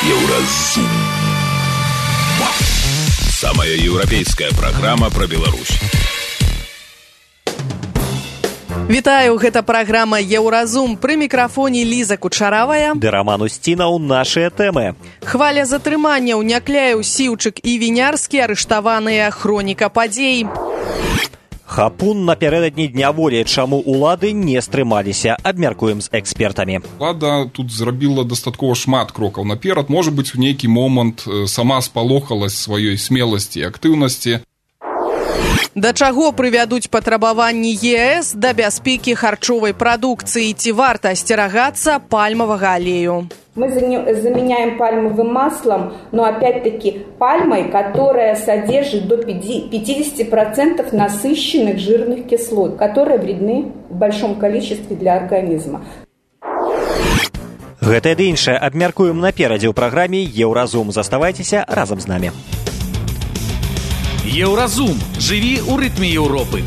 Еўразум. Самая еўрапейская праграма пра Беларусь. Вітаю, гэта праграма «Еўразум». Пры мікрафоне Ліза Кучаравая. Ды Раман Усцінаў, нашыя тэмы. Хваля затрыманняў Някляеў, Сіўчык і Вінярскі арыштаваныя, хроніка падзей. Хапун напярэдадні Дня волі. Чаму улады не стрымаліся? Абмяркуем з экспертамі. Улада тут зрабіла дастаткова шмат крокаў наперад. Можа быць, у нейкі момант сама спалохалась сваёй смеласці і актыўнасці. Да чаго прывядуць патрабаванні ЕС да бяспекі харчовай прадукцыі? Ці варта асцерагацца пальмавага алею? Мы заменяем пальмовым маслом, но опять-таки пальмой, которая содержит до 50% насыщенных жирных кислот, которые вредны в большом количестве для организма. Гэта і іншае абмяркуем наперадзе ў праграме «Еўразум». Заставайцеся разам з намі. Еўразум. Жыві ў рытме Еўропы.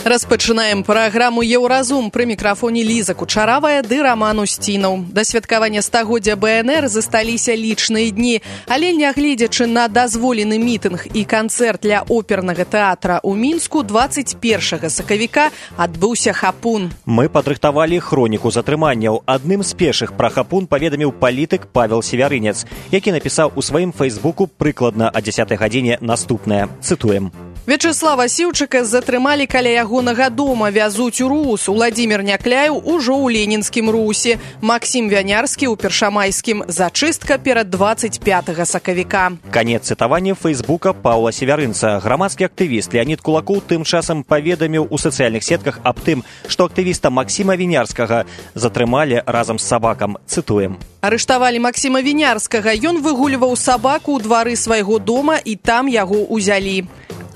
Распачынаем праграму «Еўразум». Пры мікрафоне Ліза Кучаравая ды Раман Усцінаў. Да святкавання стагоддзя БНР засталіся лічныя дні, але нягледзячы на дазволены мітынг і канцэрт для опернага тэатра ў Мінску, 21 сакавіка адбыўся хапун. Мы падрыхтавалі хроніку затрыманняў. Адным з першых пра хапун паведаміў палітык Павел Севярынец, які напісаў у сваім фэйсбуку прыкладна о 10 гадзіне наступнае. Цытуем. Вячеслава Сіўчыка затрымалі каля ягонага дома, вязуць у РУС. Уладзімір Някляеў ужо ў ленінскім РУСе. Максім Вянярскі ў першамайскім. Зачыстка перад 25 сакавіка. Канец цытавання фэйсбука Паўла Севярынца. Грамадскі актывіст Леонид Кулакоў тым часам паведаміў у сацыяльных сетках аб тым, што актывіста Максіма Вінярскага затрымалі разам з сабакам. Цытуем. Арыштавалі Максіма Вінярскага. Ён выгульваў сабаку ў двары свайго дома і там яго ўзялі.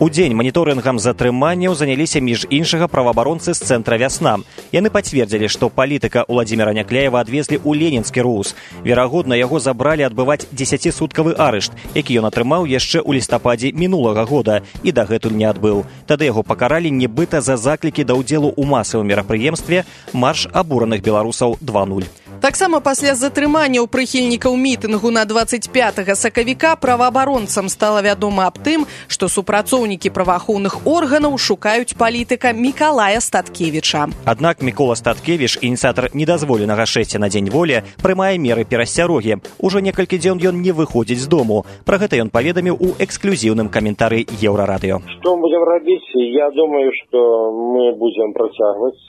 У дзень маніторынгам затрыманняў заняліся між іншага праваабаронцы з цэнтра «Вясна». Яны пацвердзілі, што палітыка Уладзіміра Някляева адвезлі ў ленінскі РУС. Верагодна, яго забралі адбываць 10-суткавы арышт, які ён атрымаў яшчэ ў лістападзе мінулага года і дагэтуль не адбыў. Тады яго пакаралі нібыта за заклікі да ўдзелу ў масавым мерапрыемстве «Марш абураных беларусаў 2.0». Таксама пасля затрыманняў прыхільнікаў мітынгу на 25 сакавіка праваабаронцам стала вядома аб тым, што супрацоўнікі праваахоўных органаў шукаюць палітыка Мікалая Статкевіча. Аднак Мікола Статкевіч, ініцыятар недазволенага шэсця на Дзень волі, прымае меры перасцярогі. Ужо некалькі дзён ён не выходзіць з дому. Пра гэта ён паведаміў у эксклюзіўным каментары Еўрарадыё. Што будзем рабіць? Я думаю, што мы будзем працягваць.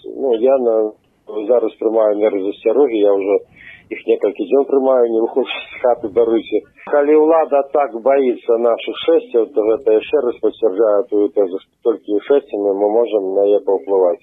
Зараз прымаю меры засцярогі, я ўжо іх некалькі дзён прымаю, не выходзіць з хаты, даруйце. Калі ўлада так баіцца нашых шэсцяў, то гэта яшчэ раз пацвярджае тую тэзу, што толькі шэсцямі мы можам на яе паўплываць.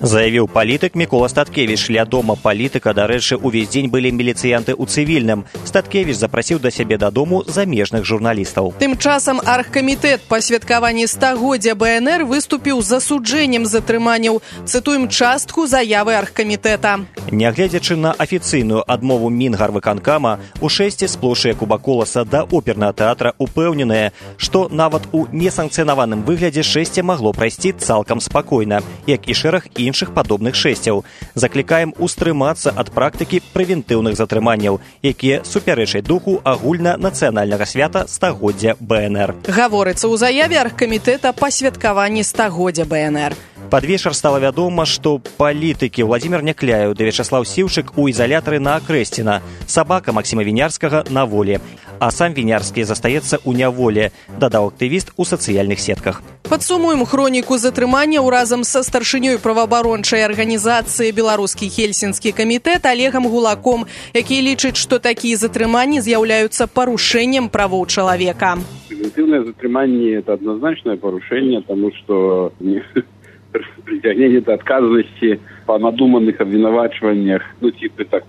Заявіў палітык Мікола Статкевіч. Ля дома палітыка, дарэчы, увесь дзень былі міліцыянты ў цывільным. Статкевіч запрасіў да сябе дадому замежных журналістаў. Тым часам аргкамітэт па святкаванні стагоддзя БНР выступіў з засуджэннем затрыманняў. Цытуем частку заявы аргкамітэта. Нягледзячы на афіцыйную адмову Мінгарвыканкама, у шэсці з плошчы Якуба Коласа да опернага тэатра упэўненыя, што нават у несанкцыянаваным выглядзе шэсце магло прайсці цалкам спакойна, як і шэраг іншых падобных шэсцяў. Заклікаем устрымацца ад практыкі прэвентыўных затрыманняў, якія супярэчаць духу агульнанацыянальнага свята стагоддзя БНР. Гаворыцца ў заяве аргкамітэта па святкаванні стагоддзя БНР. Пад вечар стала вядома, што палітыкі Уладзімір Някляеў ды Вячеслаў Сіўчык у ізалятары на Акрэсціна, сабака Максіма Вінярскага на волі, а сам Вінярскі застаецца ў няволі, дадаў актывіст у сацыяльных сетках. Падсумуем хроніку затрыманняў разам са старшынёй праваабарончай арганізацыі «Беларускі хельсінскі камітэт» Олегам Гулаком, які лічыць, што такія затрыманні з'яўляюцца парушэннем правоў чалавека. Превентивное затрыманне – это однозначное порушение, потому что притягнение до отказанности по надуманных обвинувачиваниях,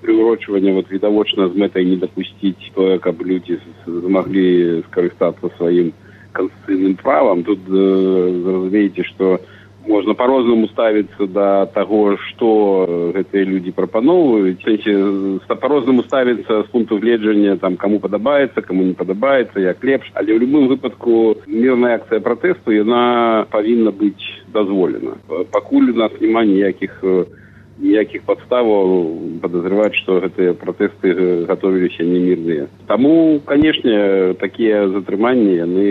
приурочивание відавочна з мэтай не допустить того, каб люди змогли скористаться своим конституционным правом. Тут разумеете, что можно по-рознаму ставиться до того, что гэтыя люди прапаноўваюць. По-рознаму ставиться с пункту гледжання, кому падабаецца, кому не падабаецца, як лепш. Але в любым выпадку мирная акция протесту, она повинна быть дозволена. Пакуль у нас няма ніякіх ніякіх падставаў падазрываць, што гэтыя пратэсты гатовіліся не мірныя. Таму, канешне, такія затрыманні, яны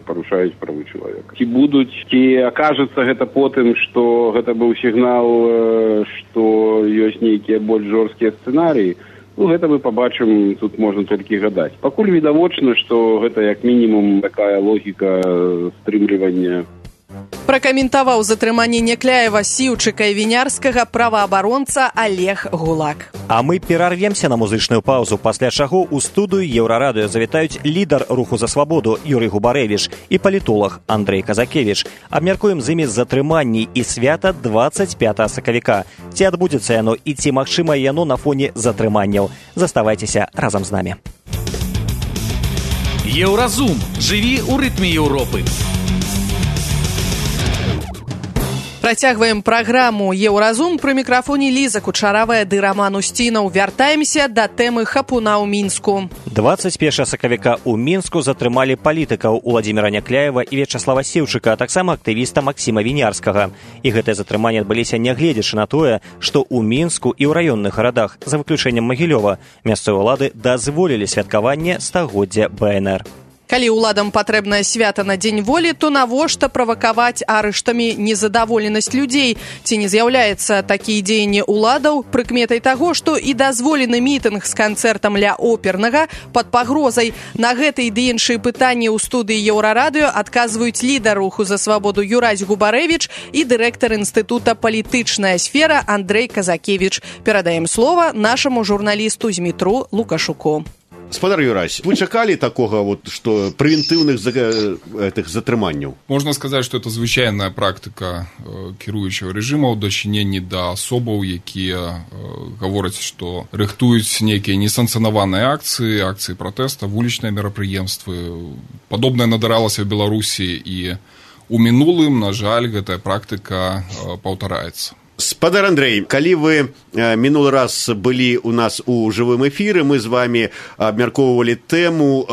парушаюць правы чалавека. Ці будуць, ці акажацца гэта потым, што гэта быў сігнал, што ёсць нейкія больш жорсткія сцэнарыі, гэта мы пабачым, тут можна толькі гадаць. Пакуль відавочна, што гэта як мінімум такая логіка стрымлівання. Пракаментаваў затрыманне Някляева, Сіўчыка і Вінярскага праваабаронца Олег Гулак. А мы перарвемся на музычную паузу, пасля чаго ў студыю Еўрарадыё завітаюць лідар руху за свабоду Юрый Губарэвіч і палітолог Андрэй Казакевіч. Абмяркуем з імі затрыманні і свята 25 сакавіка. Ці адбудзецца яно і ці магчыма яно на фоне затрыманняў. Заставайцеся разам з намі. Еўразум. Жыві ў рытме Еўропы. Працягваем праграму «Еўразум». Пры мікрафоне Ліза Кучаравая ды Раман Усцінаў. Вяртаемся да тэмы хапуна ў Мінску. 21 сакавіка ў Мінску затрымалі палітыкаў Уладзіміра Някляева і Вячаслава Сіўчыка, а таксама актывіста Максіма Вінярскага. І гэтыя затрыманні адбыліся нягледзячы на тое, што ў Мінску і ў раённых гарадах, за выключэннем Магілёва, мясцовыя ўлады дазволілі святкаванне стагоддзя БНР. Калі ўладам патрэбнае свята на Дзень волі, то навошта правакаваць арыштамі незадаволенасць людзей? Ці не з'яўляецца такія дзеянні ўладаў прыкметай таго, што і дазволены мітынг з канцэртам ля опернага пад пагрозай? На гэтыя ды іншыя пытанні ў студыі Еўрарадыё адказваюць лідар руху за свабоду Юрай Губарэвіч і дырэктар інстытута «Палітычная сфера» Андрэй Казакевіч. Перадаем слова нашаму журналісту Змітру Лукашуку. Спадар Юрась, вы чакалі такога, што прэвентыўных затрыманняў? Можна сказаць, што это звычайная практыка кіруючага рэжыма ў дачыненні да асобаў, якія гавораць, што рыхтуюць нейкія несанкцыянаваныя акцыі пратэста, вулічныя мерапрыемствы. Падобнае надаралася ў Беларусі і ў мінулым, на жаль, гэтая практыка паўтараецца. Спадар Андрэй, калі вы мінулы раз былі ў нас у жывым эфіры, мы з вами абмяркоўвалі тэму,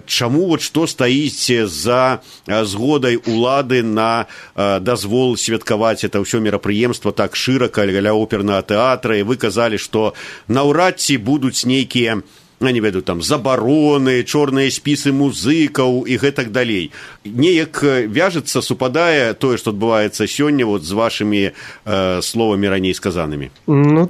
чаму што стаіць за згодай улады на дазвол святкаваць это ўсё мерапрыемства так шырака ля опернага тэатра, і вы казалі, што наўрад ці будуць нейкія не ведаю, там, забароны, чорныя спісы музыкаў і гэтак далей. Неяк вяжецца, супадае тое, што адбываецца сёння з вашымі словамі раней сказанымі?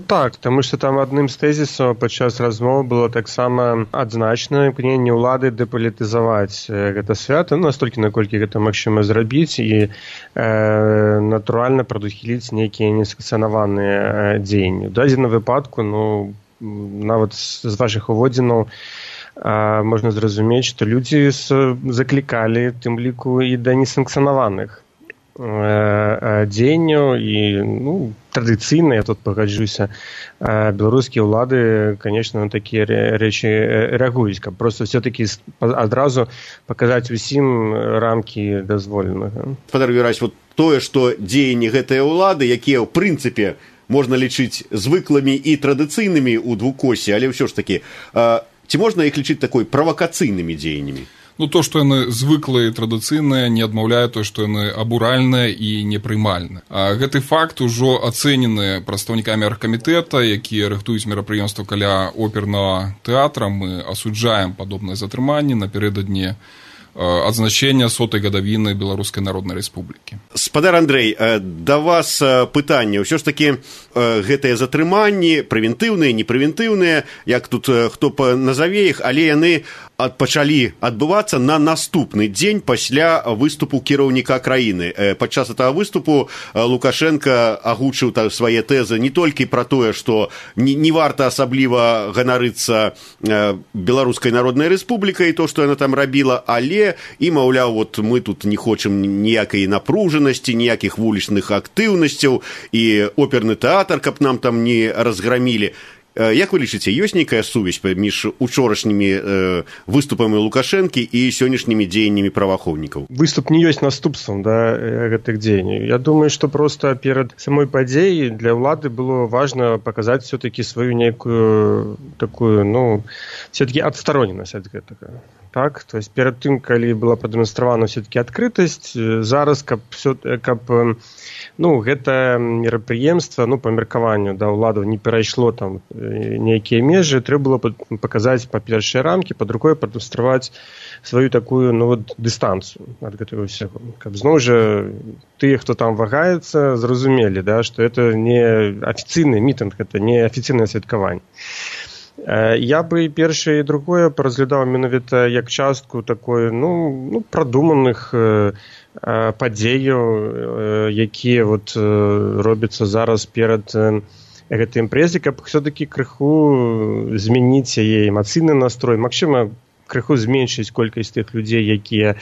Так, таму што там адным з тэзісаў падчас размовы было таксама адзначана імкненне ўлады дэпалітызаваць гэта свята, настолькі, наколькі гэта магчыма зрабіць, і натуральна прадухіліць нейкія несанкцыянаваныя дзеянні. У дадзеным выпадку, нават з вашых уводзінаў можна зразумець, што людзі заклікалі, тым ліку, і да несанкцыянаваных дзеянняў, і традыцыйна, я тут пагаджуся, беларускія ўлады, конечно, на такія рэчы рэагуюць, каб проста все-таки адразу паказаць усім рамкі дазволенага. Спадар Юрась, тое, што дзеянні гэтыя ўлады, якія, ў прынцыпе, можна лічыць звыклымі і традыцыйнымі ў двукосе, але ўсё ж такі, ці можна іх лічыць такой правакацыйнымі дзеяннямі? То, што яны звыклыя і традыцыйныя, не адмаўляе то, што яны абуральныя і непрымальныя. Гэты факт ужо ацэнены прадстаўнікамі аргкамітэта, якія рыхтуюць мерапрыемства каля опернага тэатра. Мы асуджаем падобныя затрыманні напярэдадні адзначэння 100-й гадавіны Беларускай Народнай Рэспублікі. Спадар Андрэй, да вас пытанне. Ўсё ж такі гэтыя затрыманні, прэвентыўныя, непрэвентыўныя, як тут хто назаве іх, але яны пачалі адбывацца на наступны дзень пасля выступу кіраўніка краіны. Падчас этого выступу Лукашенко агучыў свае тэзы не толькі пра тое, што не варта асабліва ганарыцца Беларускай Народнай Рэспублікай, то, што яна там рабіла, але і, маўляў, мы тут не хочам ніякай напружанасці, ніякіх вулічных актыўнасцяў, і оперны тэатр, каб нам там не разграмілі. Як вы лічыце, ёсць нейкая сувязь паміж учорашнімі выступамі Лукашэнкі і сённяшнімі дзеяннямі праваахоўнікаў? Выступ не ёсць наступствам гэтых дзеянняў. Я думаю, што проста перад самой падзеяй для ўлады было важна паказаць все-таки сваю нейкую такую, все-таки адстароненасць ад гэтага. так? То есть перед тым, калі была прадэманстравана все-таки адкрытасць, зараз, каб гэта мерапрыемства, па меркаванню ўладаў не перайшло там нейкія межы, трэба было паказаць па першыя рамкі, па другое прадэманстраваць сваю такую дыстанцыю ад гэтага ўсяго. Каб зноў жа тыя, хто там вагаецца, зразумелі, што это не афіцыйны мітынг, это не афіцыйнае святкаванне. Я бы першае і другое паразглядаў менавіта як частку такой, прадуманых падзеяў, якія робяцца зараз перад гэтай імпрэзай, каб все-таки крыху змяніць яе эмацыйны настрой, магчыма, крыху зменшыць колькасць тых людзей, якія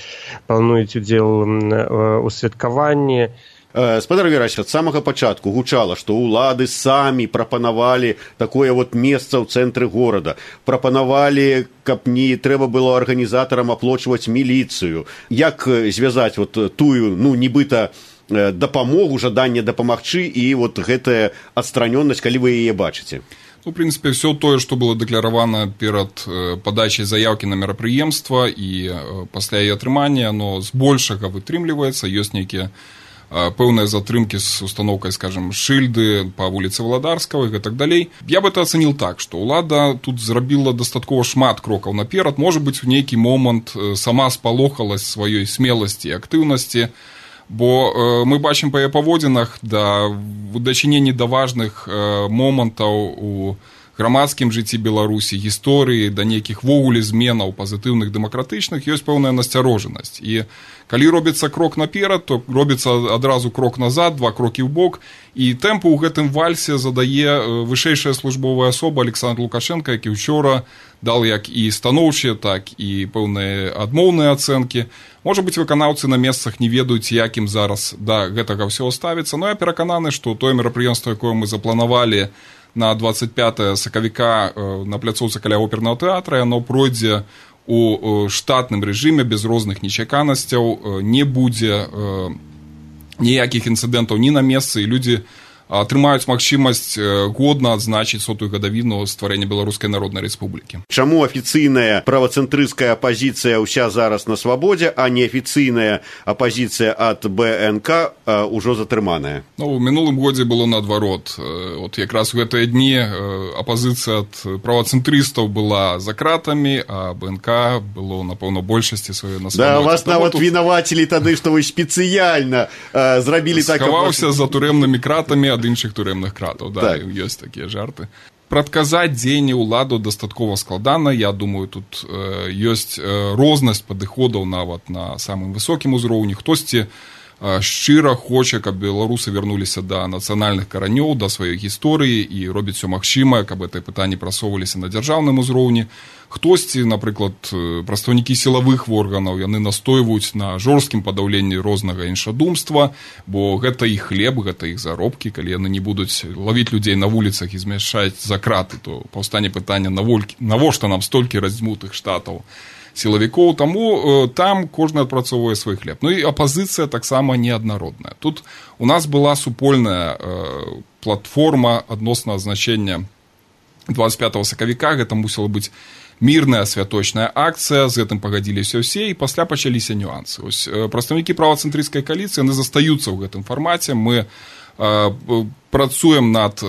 плануюць удзел у святкаванні. Спадар Верасевич, ад самага пачатку гучала, што ўлады самі прапанавалі такое месца ў цэнтры горада. Прапанавалі, каб не трэба было арганізатарам аплочваць міліцыю. Як звязаць тую, нібыта дапамогу, жаданне дапамагчы і гэтая адстранённасць, калі вы яе бачыце? В принципе, все тое, што было дэкларавана перад падачай заяўкі на мерапрыемства і пасля яе атрымання, оно збольшага вытрымліваецца, ёсць нейкія пэўныя затрымкі з установкай, скажем, шыльды па вуліцы Валадарскага і так далей. Я бы это ацаніў так, што ўлада тут зрабіла дастаткова шмат крокаў наперад. Можа быць, у нейкі момант сама спалохалась сваёй смеласці і актыўнасці, бо мы бачым па яе паводзінах у дачыненні да важных момантаў у грамадскім жыцці Беларусі, гісторыі, да нейкіх вогуле зменаў пазітыўных дэмакратычных ёсць пэўная насцярожанасць. І калі робіцца крок наперад, то робіцца адразу крок назад, 2 крокі ў бок, і тэмпу ў гэтым вальсе задае вышэйшая службовая асоба Александр Лукашенко, які ўчора дал як і станоўчыя, так і пэўныя адмоўныя ацэнкі. Можа быць, выканаўцы на месцах не ведаюць, якім зараз да гэтага ўсяго ставіцца, но я перакананы, што тое мерапрыемства, якое мы запланавалі на 25 сакавіка на пляцоўцы каля опернага тэатра, яно пройдзе у штатным рэжыме без розных нечаканасцяў, не будзе ніякіх інцыдэнтаў ні на месцы, і людзі атрымаюць магчымасць годна адзначыць 100-ю гадавіну стварэння Беларускай Народнай Рэспублікі. Чаму афіцыйная правацэнтрысцкая апазіцыя ўся зараз на свабодзе, а неафіцыйная апазіцыя ад БНК ўжо затрыманая? У мінулым годзе было наадварот. Якраз у гэтыя дні апазіцыя ад правацэнтрыстаў была за кратамі, а БНК было, напэўна, большасці сваёй на свабодзе. Да, вас нават вінавацілі тады, што вы спецыяльна зрабілі так... Схаваўся за турэмнымі кратамі ад іншых турэмных кратаў, так. Ёсць такія жарты. Прадказаць дзеянні ўладу дастаткова складана. Я думаю, тут ёсць рознасць падыходаў нават на самым высокім узроўні. Хтосьці шчыра хоча, каб беларусы вярнуліся да нацыянальных каранёў, да сваёй гісторыі і робіць усё магчымае, каб гэтыя пытанні прасоўваліся на дзяржаўным узроўні. Хтосьці, напрыклад, прадстаўнікі сілавых органаў, яны настойваюць на жорсткім падаўленні рознага іншадумства, бо гэта іх хлеб, гэта іх заробкі. Калі яны не будуць лавіць людзей на вуліцах і змяшаць за краты, то паўстане пытанне, навошта нам столькі раздзьмутых штатаў сілавікоў, таму там кожны адпрацоўвае свой хлеб. І апазіцыя таксама неаднародная. Тут у нас была супольная платформа адносна азначэння 25 сакавіка, гэта мусіла быць мірная святочная акцыя, з гэтым пагадзіліся ўсе, і пасля пачаліся нюансы. Прадстаўнікі правацэнтрысцкай кааліцыі, яны застаюцца ў гэтым фармаце. Мы працуем над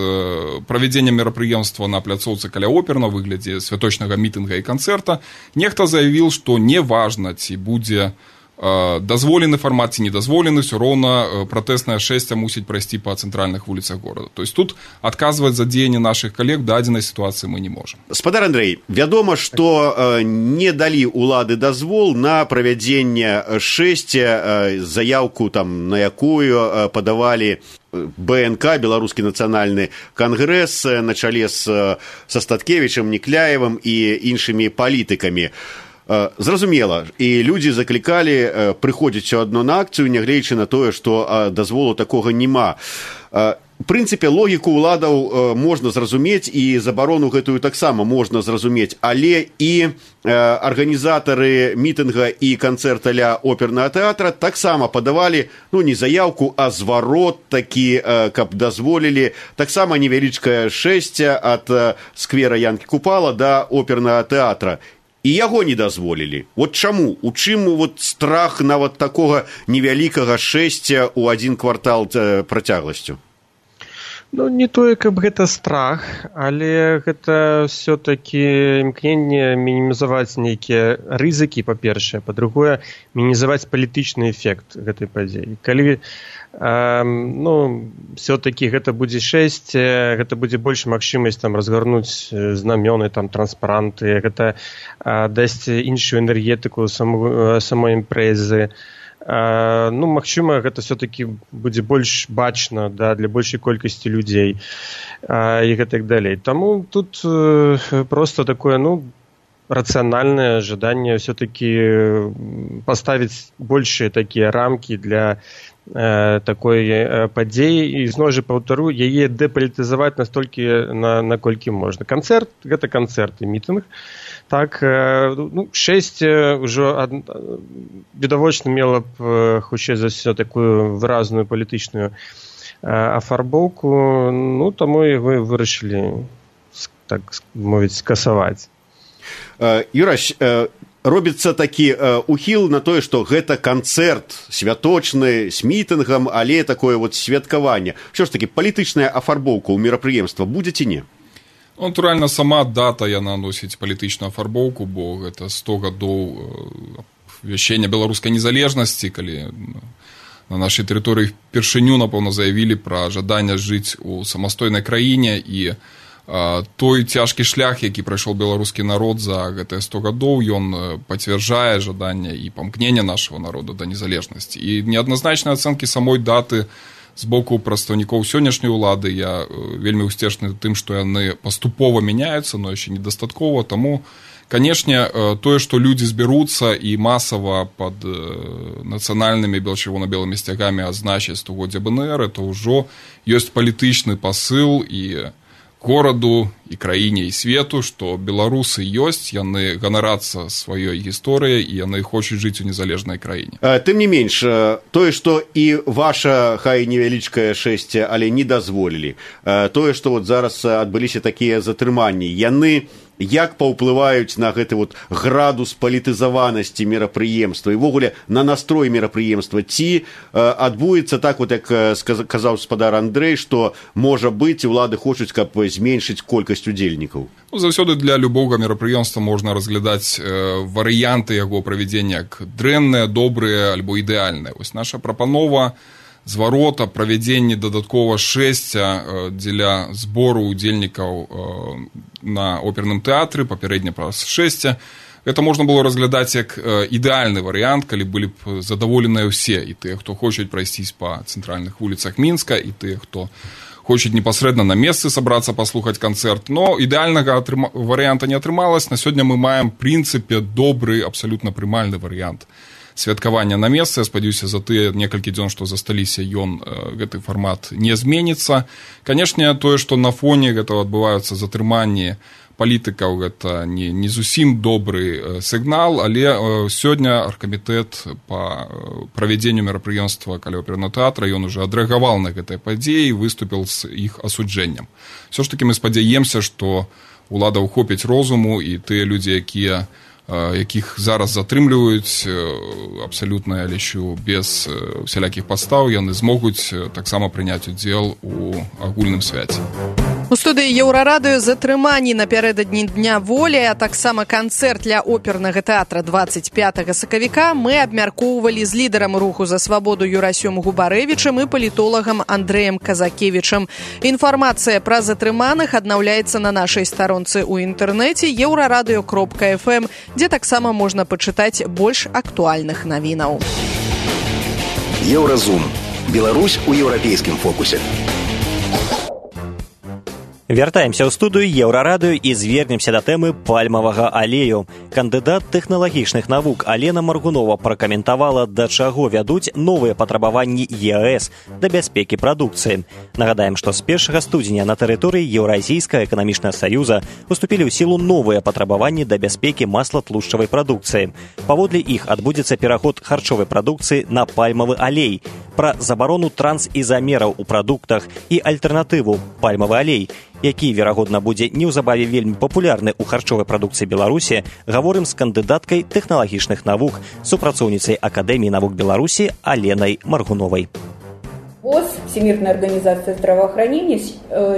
правядзеннем мерапрыемства на пляцоўцы каля оперна ў выглядзе святочнага мітынга і канцэрта. Нехта заявіў, што не важна, ці будзе дазволены фармат ці недазволены, ўсё роўна пратэснае шэсце мусіць прайсці па цэнтральных вуліцах горада. То есть тут адказваць за дзеянні нашых калег дадзенай сітуацыі мы не можам. Спадар Андрэй, вядома, што не далі ўлады дазвол на правядзенне шэсця, заяўку там, на якую падавалі БНК, Беларускі нацыянальны кангрэс, на чале са Статкевічам, Некляевым і іншымі палітыкамі. Зразумела, і людзі заклікалі прыходзіць усё адно на акцыю, нягледзячы на тое, што дазволу такога няма. У прынцыпе, логіку ўладаў можна зразумець, і забарону гэтую таксама можна зразумець, але і арганізатары мітынга і канцэрта ля опернага тэатра таксама падавалі, не заяўку, а зварот такі, каб дазволілі таксама невялічкае шэсце ад сквера Янкі Купала да опернага тэатра. і яго не дазволілі. Вот чаму? У чым вот страх нават такога невялікага шэсця ў адзін квартал працягласцю? Ну, не тое, каб гэта страх, але гэта все-таки імкненне мінімізаваць нейкія рызыкі, па-першае, па-другое, мінімізаваць палітычны эфект гэтай падзеі. Калі все-таки гэта будзе шэсце, гэта будзе больш магчымасць там разгарнуць знамёны, там транспаранты, гэта дасць іншую энергетыку самой імпрэзы. Магчыма, гэта все-таки будзе больш бачна, да, для большай колькасці людзей і гэтак далей. Таму тут просто такое, рацыянальнае жаданне все-таки паставіць большыя такія рамкі для такой падзеі і зноў жа паўтару, яе дэпалітызаваць настолькі, наколькі можна. Канцэрт – гэта канцэрт і мітынг. Так, шэсце ўжо відавочна мела б хутчэй за ўсё такую выразную палітычную афарбоўку, таму і вы вырашылі, так мовіць, скасаваць. Юрась, робіцца такі ухіл на тое, што гэта канцэрт святочны з мітынгам, але такое вот святкаванне. Що ж такі, палітычная афарбоўка ў мерапрыемства будзе ці не? Натуральна, сама дата яна носіць палітычную афарбоўку, бо гэта 100 гадоў абвяшчэння беларускай незалежнасці, калі на нашай тэрыторыі першыню, напэўна, заявілі пра жаданне жыць у самастойнай краіне, і той цяжкі шлях, які прайшоў беларускі народ за гэтыя 100 гадоў, ён пацвярджае жаданне і памкнення нашага народа да незалежнасці. І неадназначныя ацэнкі самой даты з боку прадстаўнікоў сённяшняй улады я вельмі ўсцешны тым, што яны паступова мяняюцца, но яшчэ недастаткова. Таму, канешне, тое, што людзі збяруцца і масава пад нацыянальнымі чырвона-белымі сцягамі адзначаць 100-годдзе БНР, это ўжо ёсць палітычны пасыл і гораду, і краіне, і свету, што беларусы ёсць, яны ганарацца сваёй гісторыяй, і яны хочуць жыць у незалежнай краіне. Тым не менш, тое, што і ваша, хай невялічкае шэсце, але не дазволілі, тое, што вот зараз адбыліся такія затрыманні, яны як паўплываюць на гэты вот градус палітызаванасці мерапрыемства і ввогуле на настрой мерапрыемства, ці адбудзецца так, вот як казаў спадар Андрэй, што, можа быць, улады хочуць, каб зменшыць колькасць удзельнікаў? Заўсёды для любога мерапрыемства можна разглядаць варыянты яго правядзення як дрэнныя, добрыя альбо ідэальныя. Вось наша прапанова зварота, правядзенне дадаткова шэсця дзеля збору удзельнікаў на оперным тэатры, папярэдне праз шэсця. Гэта можна было разглядаць як ідэальны варыянт, калі былі б задаволеныя ўсе, і тыя, хто хочуць прайсцісь па цэнтральных вуліцах Мінска, і тыя, хто хочуць непасрэдна на месцы сабрацца, паслухаць канцэрт. Но ідэальнага варыянта не атрымалась. На сёння мы маем, прынцыпе, добры, абсалютна прымальны варыянт святкавання на месцы. Я спадзяюся, за тыя некалькі дзён, што засталіся, гэты фармат не зменіцца. Канешне, тое, што на фоне гэтага адбываюцца затрыманні палітыкаў, гэта не зусім добры сігнал, але сёння аргкамітэт па правядзенню мерапрыемства каля опернага тэатра, ён уже адрэагаваў на гэтыя падзеі і выступіў з іх асуджэннем. Всё ж такі мы спадзяемся, што улада ўхопіць розуму, і тыя людзі, якіх зараз затрымліваюць абсалютна, я лічу, без усялякіх падстаў, яны змогуць таксама прыняць удзел у агульным свяце. У студыі Еўрарадыё затрыманні напярэдадні Дня волі, а таксама канцэрт для опернага тэатра 25 сакавіка мы абмяркоўвалі з лідарам руху за свабоду Юрасём Губарэвічам і палітолагам Андрэем Казакевічам. Інфармацыя пра затрыманых аднаўляецца на нашай старонцы ў інтэрнэце euraradio.fm, дзе таксама можна пачытаць больш актуальных навінаў. Еўразум. Беларусь у еўрапейскім фокусе. Вяртаемся ў студыю Еўрарадыё і звернемся да тэмы пальмавага алею. Кандыдат тэхналагічных навук Алена Маргунова пракаментавала, да чаго вядуць новыя патрабаванні ЕС да бяспекі прадукцыі. Нагадаем, што з 1 студзеня на тэрыторыі Еўразійскага эканамічнага саюза уступілі ў сілу новыя патрабаванні да бяспекі масла-тлушчавай прадукцыі. Паводле іх адбудзецца пераход харчовай прадукцыі на пальмавы алей, пра забарону трансізамераў у прадуктах і альтэрнатыву пальмавы алей. які, верагодна, будзе неўзабаве вельмі папулярны ў харчовай прадукцыі Беларусі, гаворым з кандыдаткай тэхналагічных навук, супрацоўніцай Акадэміі навук Беларусі Аленай Маргуновай. ВОЗ, Всемирная организация здравоохранения,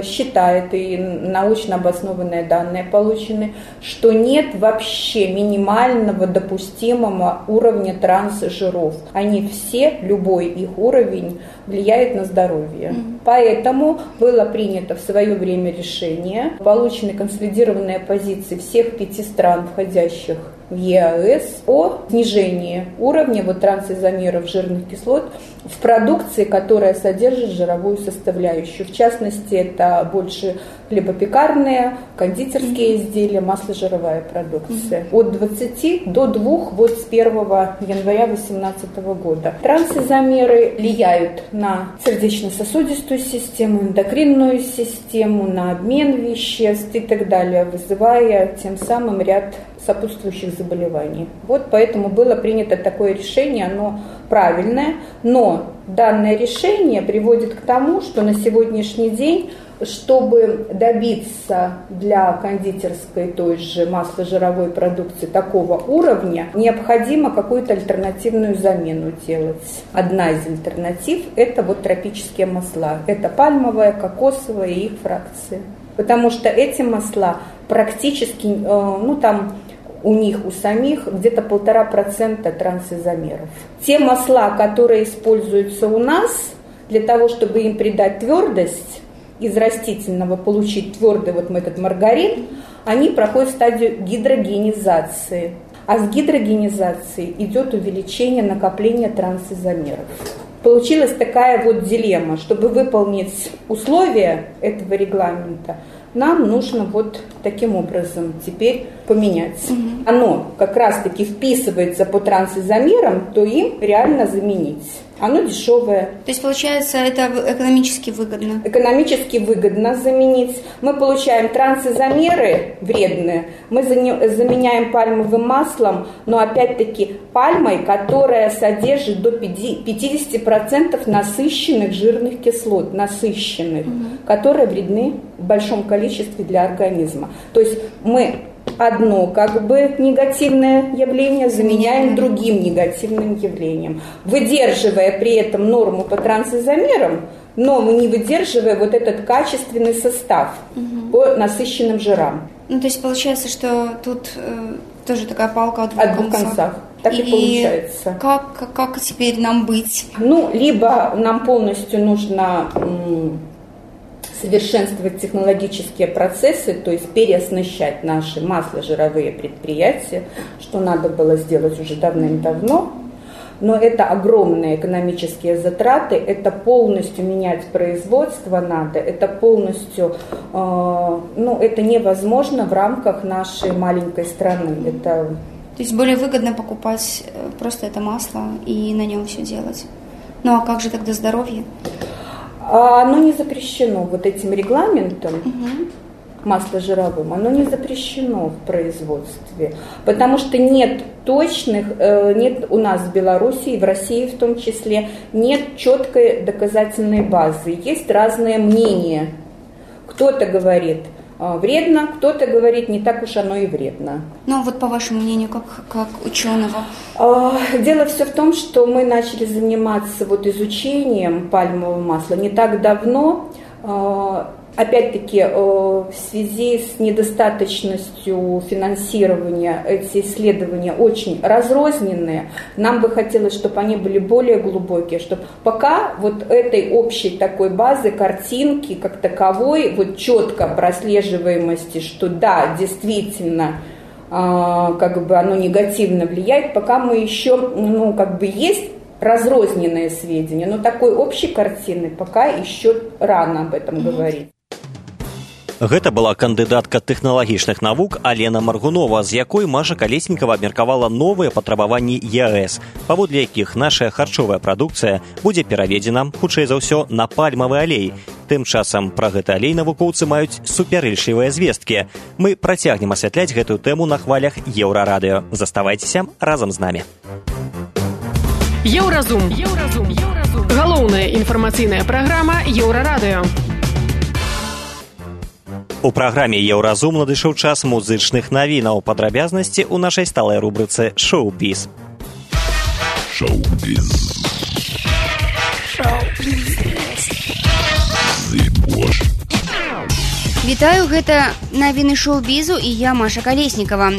считает, и научно обоснованные данные получены, что нет вообще минимального допустимого уровня трансжиров. Они все, любой их уровень, влияет на здоровье. Поэтому было принято в свое время решение, получены консолидированные позиции всех 5 стран, входящих в ЕАЭС, о снижении уровня трансизомеров жирных кислот в продукции, которая содержит жировую составляющую. В частности, это больше хлебопекарные, кондитерские изделия, масложировая продукция. От 20 до 2 с 1 января 2018 года. Трансизомеры влияют на сердечно-сосудистую систему, эндокринную систему, на обмен веществ и так далее, вызывая тем самым ряд сопутствующих заболеваний. Поэтому было принято такое решение, оно правильное, но данное решение приводит к тому, что на сегодняшний день, чтобы добиться для кондитерской той же масложировой продукции такого уровня, необходимо какую-то альтернативную замену делать. Одна из альтернатив – это тропические масла. Это пальмовая, кокосовая и их фракции. Потому что эти масла практически, у них, у самих, где-то 1,5% трансизомеров. Те масла, которые используются у нас, для того, чтобы им придать твердость, из растительного получить твердый этот маргарин, они проходят стадию гидрогенизации. А с гидрогенизацией идет увеличение накопления трансизомеров. Получилась такая дилемма. Чтобы выполнить условия этого регламента, нам нужно таким образом теперь поменять. Оно как раз-таки вписывается по трансизомерам, то им реально заменить. Оно дешевое. То есть, получается, это экономически выгодно? Экономически выгодно заменить. Мы получаем трансизомеры вредные, мы заменяем пальмовым маслом, но опять-таки пальмой, которая содержит до 50% насыщенных жирных кислот, которые вредны в большом количестве для организма. То есть мы одно негативное явление заменяем другим негативным явлением, выдерживая при этом норму по трансизомерам, но не выдерживая этот качественный состав по насыщенным жирам. То есть получается, что тут тоже такая палка от двух концов. Так и получается. Как теперь нам быть? Либо нам полностью нужно совершенствовать технологические процессы, то есть переоснащать наши масложировые предприятия, что надо было сделать уже давным-давно. Но это огромные экономические затраты, это полностью менять производство надо, это полностью, это невозможно в рамках нашей маленькой страны. То есть более выгодно покупать просто это масло и на нем все делать. А как же тогда здоровье? Оно не запрещено этим регламентом масложировым, оно не запрещено в производстве, потому что нет у нас в Беларуси и в России в том числе, нет четкой доказательной базы, есть разные мнения. Кто-то говорит вредно, кто-то говорит, не так уж оно и вредно. По вашему мнению, как ученого? Дело все в том, что мы начали заниматься изучением пальмового масла не так давно. Опять-таки, в связи с недостаточностью финансирования эти исследования очень разрозненные. Нам бы хотелось, чтобы они были более глубокие, чтобы пока этой общей такой базы, картинки как таковой, четко прослеживаемости, что да, действительно, оно негативно влияет, пока мы еще, есть разрозненные сведения, но такой общей картины пока еще рано об этом говорить. Гэта была кандыдатка тэхналагічных навук Алена Маргунова, з якой Маша Калеснікава абмеркавала новыя патрабаванні ЕАЭС, паводле якіх наша харчовая прадукцыя будзе пераведзена, хутчэй за ўсё, на пальмавы алей. Тым часам пра гэты алей навукоўцы маюць супярэчлівыя звесткі. Мы працягнем асвятляць гэтую тэму на хвалях Еўрарадыё. Заставайцеся разам з намі. Еўразум. Галоўная інфармацыйная праграма Еўрарадыё. У праграме «Еўразум» надышоў час музычных навінаў. Падрабязнасці ў нашай сталай рубрыцы «Шоу-біз». Шоу-біз. Вітаю, гэта навіны шоу-бізу і я, Маша Калеснікава.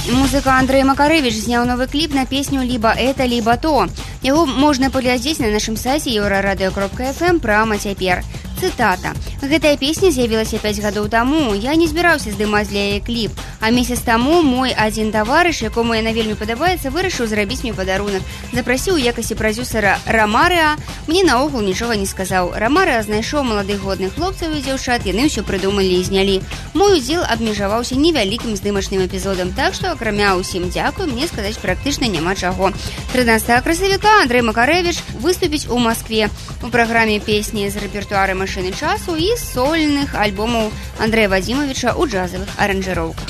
Музыка Андрэй Макарэвіч зняў новы кліп на песню «Либо это, либо то». Яго можна паглядзець на нашым сайце euraradeo.fm прямо цяпер. Цытата. Гэтая песня з'явілася 5 гадоў таму. Я не збіраўся здымаць для яе кліп. А месяц таму мой адзін таварыш, якому яна вельмі падабаецца, вырашыў зрабіць мне падарунак. Запрасіў у якасці прадзюсара Рамарыа. Мне наогул нічога не сказаў. Рамарыа знайшоў маладых годных хлопцаў і дзяўчат, яны ўсё прыдумалі і знялі. Мой удзел абмежаваўся невялікім здымачным эпізодам, так што, акрамя ўсім дзякуй, мне сказаць практычна няма чаго. 13 красавіка Андрэй Макарэвіч выступіць у Маскве у праграме песні з рэпертуара «Машыны часу» і сольных альбомаў Андрэя Вадзімавіча ў джазавых аранжыроўках.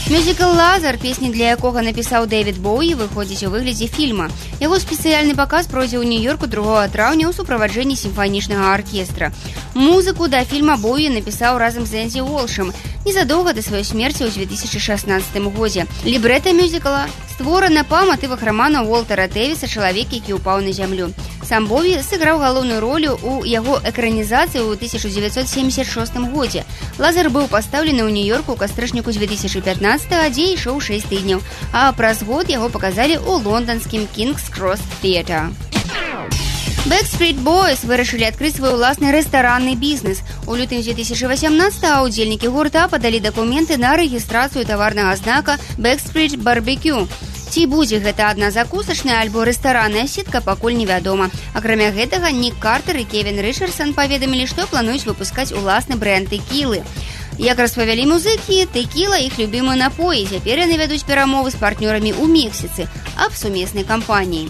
Мюзікл «Лазар», песні для якога напісаў Дэвід Боуі, выходзіць у выглядзе фільма. Яго спецыяльны паказ пройдзе ў Нью-Йорку 2 траўня ў суправаджэнні сімфанічнага аркестра. Музыку да фільма Боуі напісаў разам з Энзі Уолшам незадоўга да сваёй смерці ў 2016 годзе. Лібрэта мюзікла створана па матывах рамана Уолтера Дэвіса «Чалавек, які ўпаў на зямлю». Сам Боуі сыграў галоўную ролю ў яго экранізацыі ў 1976 годзе. «Лазар» быў пастаўлены ў Нью-Йорку ў кастрычніку 2015, дзе ішоў 6 тыдняў, а праз год яго паказалі ў лонданскім King's Cross Theatre. Backstreet Boys вырашылі адкрыць свой уласны рэстаранны бізнес. У лютым 2018 удзельнікі гурта падалі дакументы на рэгістрацыю таварнага знака Backstreet Barbecue. Ці будзе гэта адна закусачная альбо рэстаранная сетка, пакуль невядома. Акрамя гэтага, Нік Картер і Кевін Рычардсан паведамілі, што плануюць выпускаць уласны брэнд тэкілы. Як распавялі музыкі, тэкіла іх любімы напоі. Цяпер яны вядуць перамовы з партнёрамі ў Мексіцы аб сумеснай кампаніі.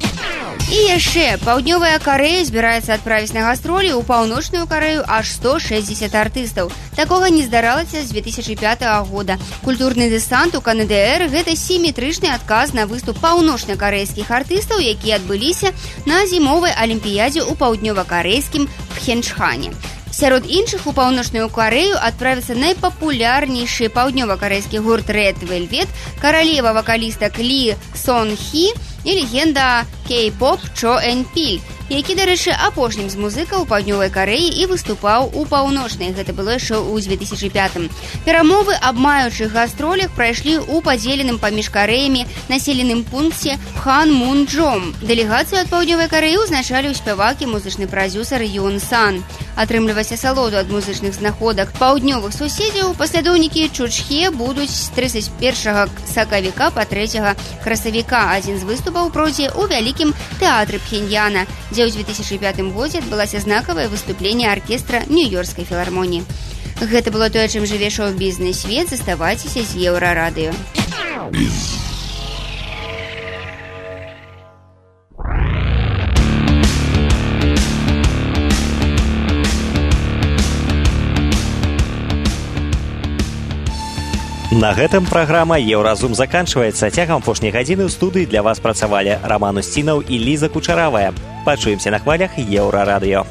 І яшчэ, Паўднёвая Карэя збіраецца адправіць на гастролі ў Паўночную Карэю аж 160 артыстаў. Такога не здаралася з 2005 года. Культурны дэсант у КНДР – гэта сіметрычны адказ на выступ паўночна-карэйскіх артыстаў, якія адбыліся на зімовай алімпіядзе ў паўднёва-карэйскім Пхенчхане. Сярод іншых у Паўночную Карэю адправіцца найпапулярнейшы паўднёва-карэйскі гурт Red Velvet, каралева вакалістак Лі Сон Хі і легенда кей-поп Чо Эн Піль, які, дарэчы, апошнім з музыкаў у Паўднёвай Карэі і выступаў у Паўночнай. Гэта было яшчэ ў 2005. Перамовы аб маючых гастролях прайшлі ў падзеленым паміж Карэямі населеным пункце Пханмунджом. Дэлегацыю ад Паўднёвай Карэі ўзначаліў спявак і музычны прадзюсар Юн Сан. Атрымліваць асалоду ад музычных знаходак паўднёвых суседзяў паслядоўнікі Чучхе будуць з 31 сакавіка па 3 красавіка. Адзін з выступаў пройдзе ў вялікім тэатры Пхеньяна, дзе ў 2005 годзе адбылася знакавае выступленне аркестра Нью-Йоркскай філармоніі. Гэта было тое, чым жыве шоу-бізнес свет. Заставайцеся з Еўрарадыё. На гэтым праграма «Еўразум» заканчваецца. Цягам апошняй гадзіны ў студыі для вас працавалі Раман Усцінаў і Ліза Кучаравая. Пачуемся на хвалях Еўрарадыё.